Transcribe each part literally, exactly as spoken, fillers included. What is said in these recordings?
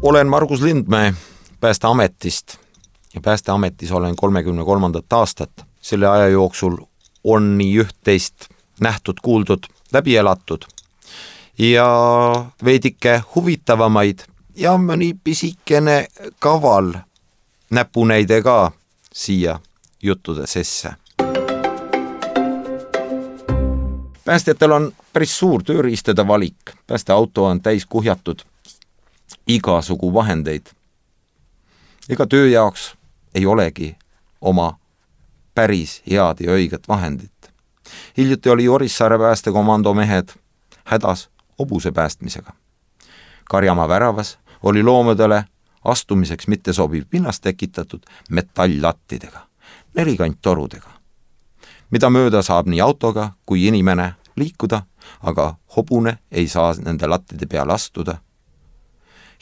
Olen Margus Lindmäe Päästeametist ja Päästeametis olen kolmekümne kolmandat aastat. Selle aja jooksul on nii üht-teist nähtud, kuuldud, läbi elatud ja veidike huvitavamaid ja mõni pisikene kaval näpunäide ka siia juttude sesse. Päästjatel on päris suur tööriistade valik. Päästeauto on täis kuhjatud igasugu vahendeid. Ega töö jaoks ei olegi oma päris head ja õiget vahendit. Hiljuti oli Orissaare päästekomando mehed hädas hobuse päästmisega. Karjamaa väravas oli loomadele astumiseks mitte sobiv pinnas tekitatud metalllattidega, nelikanttorudega, mida mööda saab nii autoga kui inimene liikuda, aga hobune ei saa nende lattide peal astuda.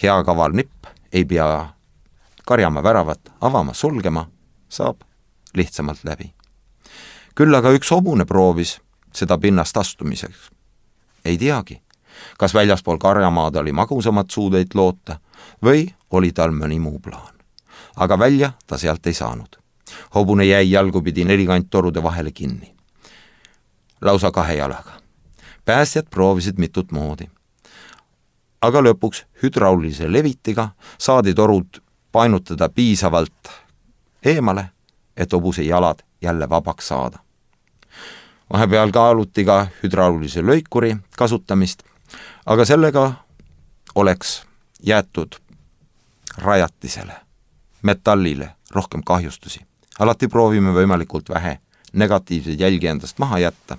Hea kaval nipp ei pea Karjamaa väravat avama, sulgema, saab lihtsamalt läbi. Küll aga üks hobune proovis seda pinnast astumiseks. Ei teagi, kas väljaspool Karjamaad oli magusamat suudeid loota või oli tal mõni muu plaan. Aga välja ta sealt ei saanud. Hobune jäi jalgupidi nelikanttorude vahele kinni. Lausa kahe jalaga. Päästjad proovisid mitut moodi. Aga lõpuks hydraulise levitiga saadi torud painutada piisavalt eemale, et hobuse jalad jälle vabaks saada. Vahepeal kaaluti ka hydraulise lõikuri kasutamist, aga sellega oleks jäetud rajatisele, metallile rohkem kahjustusi. Alati proovime võimalikult vähe negatiivseid jälgi endast maha jätta.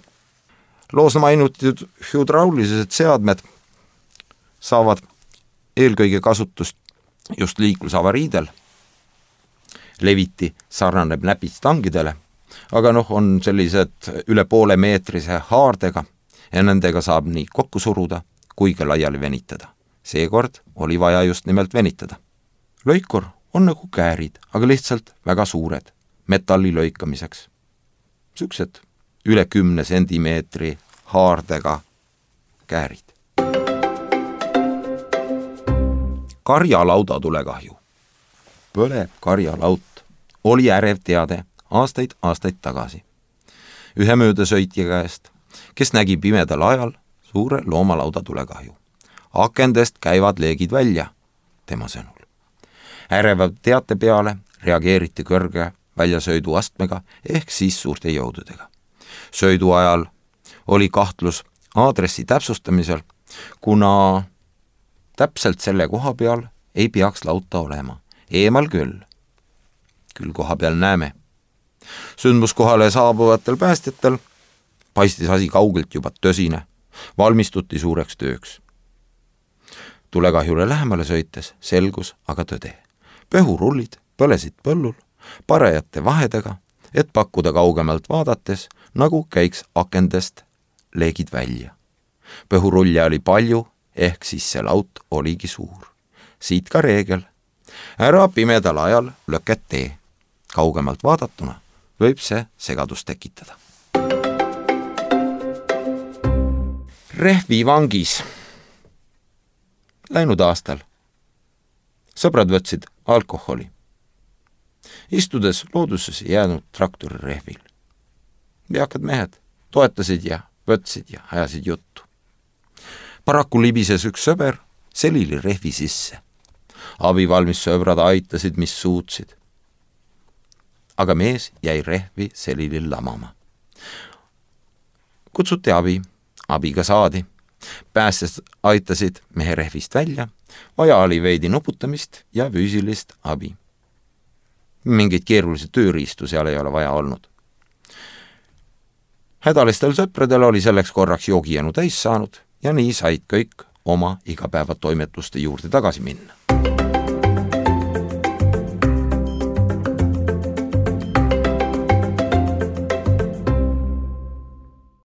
Loos mainitud hydraulilised seadmed saavad eelkõige kasutust just liiklusavariidel. Leviti sarnaneb näpistangidele, aga noh, on sellised üle poole meetrise haardega ja nendega saab nii kokku suruda kui ka laiali venitada. Seekord oli vaja just nimelt venitada. Lõikur on nagu käärid, aga lihtsalt väga suured metalli lõikamiseks. Süksed üle kümne sentimeetri haardega käärid. Karjalauda tulekahju. Põleb karjalaut oli ärev teade aastaid aastaid tagasi. Ühe möödasõitja käest, kes nägi pimedal ajal suure loomalauda tulekahju. Akendest käivad leegid välja, tema sõnul. Äreva teate peale reageeriti kõrge väljasöödu astmega ehk siis suurte jõududega. Söödu ajal oli kahtlus aadressi täpsustamisel, kuna täpselt selle koha peal ei peaks lauta olema. Eemal küll. Küll koha peal näeme. Sündmuskohale saabuvatel päästjatel paistis asi kaugelt juba tõsine. Valmistuti suureks tööks. Tulekahjule lähemale sõites selgus aga tõde. Pöhurullid põlesid põllul parajate vahedega, et pakkuda kaugemalt vaadates, nagu käiks akendest leegid välja. Pöhurulle oli palju, ehk siis see laut oligi suur. Siit ka reegel. Ära pimedal ajal lõket tee. Kaugemalt vaadatuna võib see segadust tekitada. Rehvi vangis. Läinud aastal sõbrad võtsid alkoholi. Istudes looduses jäänud traktori rehvil. Veakad mehed toetasid ja võtsid ja ajasid juttu. Paraku libises üks sõber selili rehvi sisse. Abivalmis sõbrad aitasid, mis suutsid. Aga mees jäi rehvi selilil lamama. Kutsuti abi, abiga saadi. Päästjad aitasid mehe rehvist välja, vaja oli veidi nuputamist ja füüsilist abi. Mingid keerulisi tööriistu seal ei ole vaja olnud. Hädalistel sõpradel oli selleks korraks joogijänu täis saanud ja nii said kõik oma igapäevatoimetuste juurde tagasi minna.